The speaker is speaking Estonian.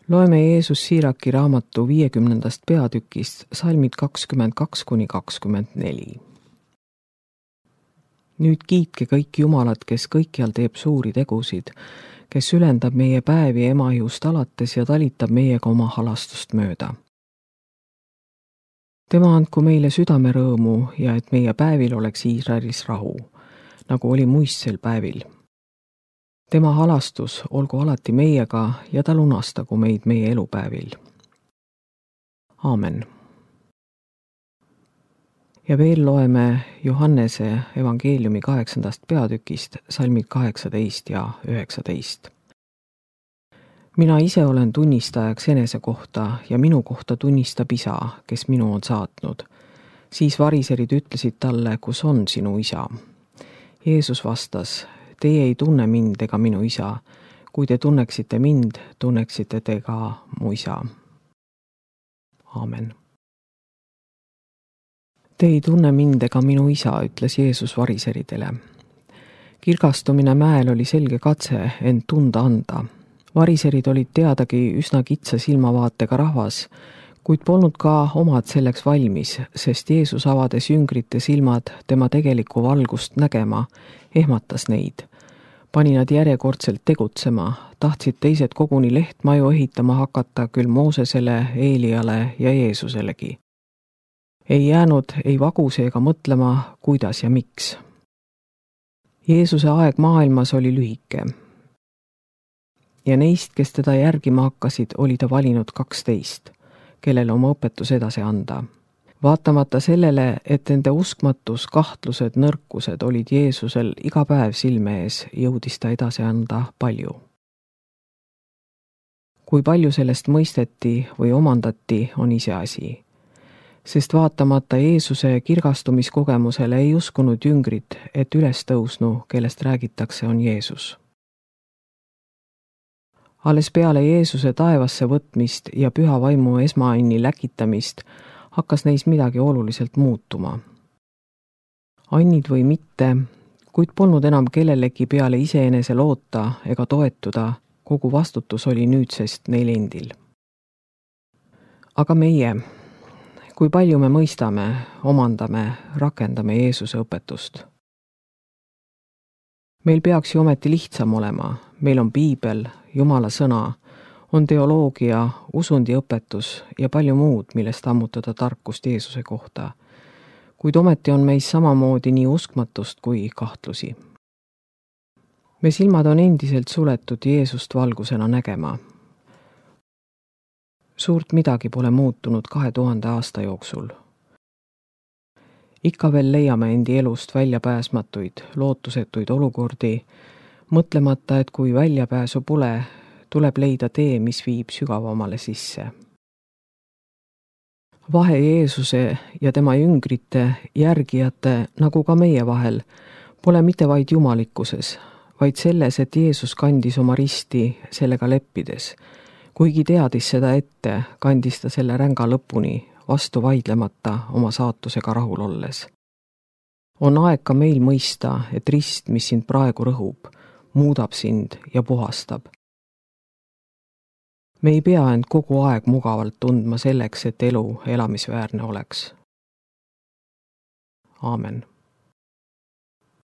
Loeme Jeesus Siiraki raamatu 50. peatükist salmid 22–24. Nüüd kiitke kõik Jumalat, kes kõikjal teeb suuri tegusid, kes ülendab meie päevi emaihust alates ja talitab meiega oma halastust mööda. Tema andku meile südamerõõmu ja et meie päevil oleks Iisraelis rahu, nagu oli muistsel päevil. Tema halastus olgu alati meiega ja ta lunastagu meid meie elupäevil. Aamen. Ja veel loeme Johannese evangeeliumi 8. peatükist salmid 18 ja 19. Mina ise olen tunnistajaks enese kohta ja minu kohta tunnistab Isa, kes minu on saatnud. Siis variserid ütlesid talle, kus on sinu Isa. Jeesus vastas, teie ei tunne mind ega minu Isa. Kui te tunneksite mind, tunneksite te ka mu Isa. Aamen. Te ei tunne mind ega minu Isa, ütles Jeesus variseridele. Kirgastumine mäel oli selge katse end tunda anda. Variserid olid teadagi üsna kitsa silmavaatega rahvas, kuid polnud ka omad selleks valmis, sest Jeesus avades jüngrite silmad tema tegelikku valgust nägema, ehmatas neid. Pani nad järjekordselt tegutsema, tahtsid teised koguni lehtmaju ehitama hakata küll Moosesele, Eeliale ja Jeesuselegi. Ei jäänud ei vaguse ega mõtlema, kuidas ja miks. Jeesuse aeg maailmas oli lühike. Ja neist, kes teda järgima hakkasid, oli ta valinud 12, kellele oma õpetus edasi anda. Vaatamata sellele, et nende uskmatus, kahtlused, nõrkused olid Jeesusel iga päev silme ees, jõudis ta edasi anda palju. Kui palju sellest mõisteti või omandati, on iseasi. Sest vaatamata Jeesuse kirgastumiskogemusele ei uskunud jüngrid, et ülestõusnu, kellest räägitakse, on Jeesus. Alles peale Jeesuse taevasse võtmist ja püha vaimu esmaanni läkitamist hakkas neis midagi oluliselt muutuma. Annid või mitte, kuid polnud enam kellelegi peale iseenese loota ega toetuda, kogu vastutus oli nüüdsest neil endil. Aga meie, kui palju me mõistame, omandame, rakendame Jeesuse õpetust? Meil peaks ju ometi lihtsam olema, meil on Piibel, Jumala sõna, on teoloogia, usundiõpetus ja palju muud, millest ammutada tarkust Jeesuse kohta. Kuid ometi on meis samamoodi nii uskmatust kui kahtlusi. Me silmad on endiselt suletud Jeesust valgusena nägema. Suurt midagi pole muutunud 2000 aasta jooksul. Ikka veel leiame endi elust väljapääsmatuid, lootusetuid olukordi, mõtlemata, et kui väljapääsu pole, tuleb leida tee, mis viib sügavamale sisse. Vahe Jeesuse ja tema jüngrite, järgijate, nagu ka meie vahel, pole mitte vaid jumalikkuses, vaid selles, et Jeesus kandis oma risti sellega leppides. Kuigi teadis seda ette, kandis ta selle ränga lõpuni, vastu vaidlemata oma saatusega rahul olles. On aeg ka meil mõista, et rist, mis sind praegu rõhub, muudab sind ja puhastab. Me ei pea end kogu aeg mugavalt tundma selleks, et elu elamisväärne oleks. Aamen.